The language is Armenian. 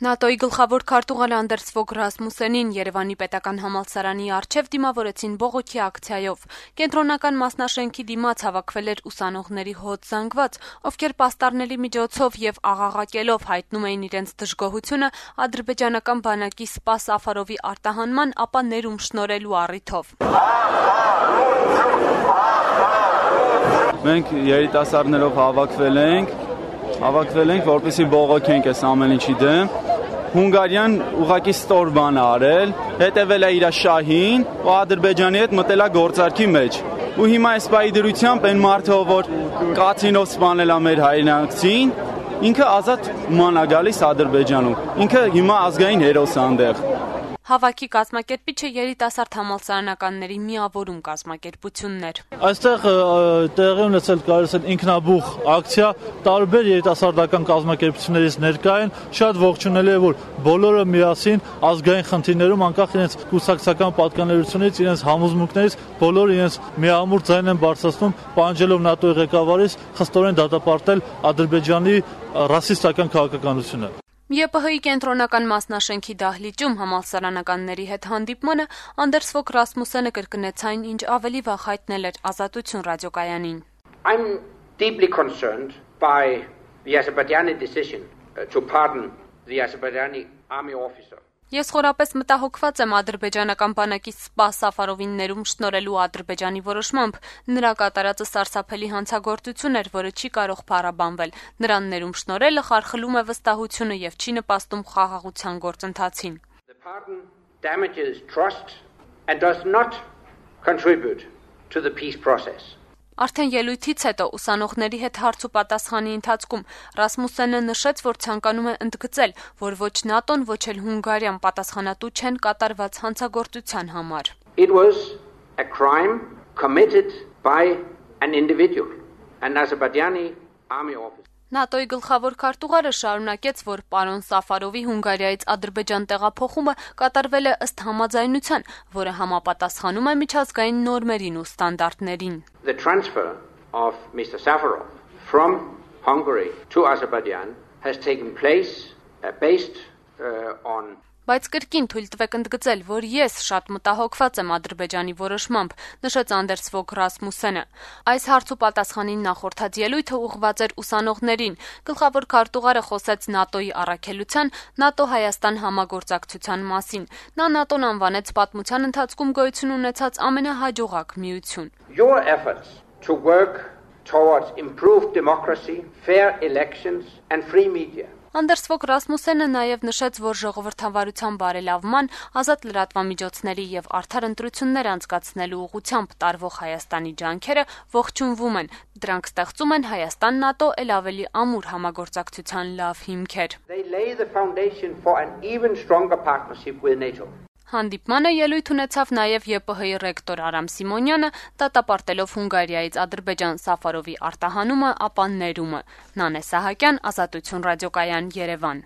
ՆԱՏՕ-ի գլխավոր քարտուղար Անդերս Ֆոգ Ռասմուսենին Երևանի պետական համալսարանի առջև դիմավորեցին բողոքի ակցիայով։ Կենտրոնական մասնաշենքի դիմաց հավաքվել էր ուսանողների հոտ զանգված, ովքեր պաստառների միջոցով եւ աղաղակելով հայտնում էին իրենց դժգոհությունը ադրբեջանական բանակի Սպա Սաֆարովի արտահանման, ապա ներում շնորհելու առիթով։ Մենք երիտասարդներով հավաքվել ենք, որպեսզի բողոքենք այս ամեն ինչի դեմ։ Հունգարիան ուղղակի ստոր բան է արել, հետևել է իր շահին ու Ադրբեջանի հետ մտել է գործարքի մեջ։ Ու հիմա այս պայի դրությամբ այն մարդը, որ կացինով սպանել է մեր հայրենակցին, ինքը ազատ ման է գալիս Ադրբեջանում։ Ինքը հիմա ազգային հերոս է այնտեղ։ Հավաքի կազմակերպիչը երիտասարդ համալսարանականների միավորում կազմակերպությունն էր։ Այստեղ տեղի ունեցել կարելի է ինքնաբուխ ակցիա, տարբեր երիտասարդական կազմակերպություններից ներկա են, շատ ողջունելի է, որ բոլորը միասին ազգային խնդիրներում անկախ իրենց կուսակցական պատկանելությունից, իրենց համոզմունքներից, բոլորը իրենց միամուր ձայն են բարձրացնում, պահանջելով ՆԱՏՕ-ի ղեկավարից խստորեն դատապարտել Ադրբեջանի ռասիստական քաղաքականությունը։ ԵՊՀ-ի կենտրոնական մասնաշենքի դահլիճում համալսարանականների հետ հանդիպմանը Անդերս Ֆոգ Ռասմուսենը կրկնեց այն, ինչ ավելի վաղ հայտնել էր Ազատություն ռադիոկայանին։ I'm deeply concerned by the Azerbaijani decision to pardon the Azerbaijani army officer. Ես խորապես մտահոգված եմ ադրբեջանական բանակի Սպա Սաֆարովին ներում շնորհելու Ադրբեջանի որոշմամբ։ Նրա կատարածը սարսափելի հանցագործություն էր, որը չի կարող փառաբանվել։ Նրան ներում շնորհելը խարխլում է վստահությունը եւ չի նպաստում խաղաղության գործընթացին։ The pardon damages trust and does not contribute to the peace process. Արդեն ելույթից հետո ուսանողների հետ հարց ու պատասխանի ընթացքում Ռասմուսենը նշեց, որ ցանկանում է ընդգծել, որ ոչ ՆԱՏՕ-ն, ոչ էլ Հունգարիան պատասխանատու չեն կատարված հանցագործության համար։ It was a crime committed by an individual, an Azerbaijani army officer. ՆԱՏՕ-ի գլխավոր քարտուղարը շարունակեց, որ պարոն Սաֆարովի Հունգարիայից Ադրբեջան տեղափոխումը կատարվել է ըստ համաձայնության, որը համապատասխանում է միջազգային նորմերին ու ստանդարտներին։ The transfer of Mr. Safarov from Hungary to Azerbaijan has taken place based on Բայց կրկին թույլ տվեք ընդգծել, որ ես շատ մտահոգված եմ Ադրբեջանի որոշմամբ, նշեց Անդերս Ֆոգ Ռասմուսենը։ Այս հարց ու պատասխանին նախորդած ելույթը ուղղված էր ուսանողներին։ Գլխավոր քարտուղարը խոսեց ՆԱՏՕ-ի առաքելության, ՆԱՏՕ-Հայաստան համագործակցության մասին։ Նա ՆԱՏՕ-ն անվանեց պատմության ընթացքում գոյություն ունեցած ամենահաջողակ միություն։ Your efforts to work towards improved democracy, fair elections and free media. Անդերս Ֆոգ Ռասմուսենը նաև նշեց, որ ժողովրդավարության բարելավման, ազատ լրատվամիջոցների եւ արդար ընտրություններ անցկացնելու ուղղությամբ տարվող Հայաստանի ջանքերը ողջունվում են։ Դրանք ստեղծում են Հայաստան-ՆԱՏՕ էլ ավելի ամուր համագործակցության լավ հիմքեր։ They lay the foundation for an even stronger partnership with NATO. Հանդիպմանը ելույթ ունեցավ նաև ԵՊՀ-ի ռեկտոր Արամ Սիմոնյանը, դատապարտելով Հունգարիայից Ադրբեջան Սաֆարովի արտահանումը, ապա ներումը։ Նանե Սահակյան, Ազատություն ռադիոկայան, Երևան։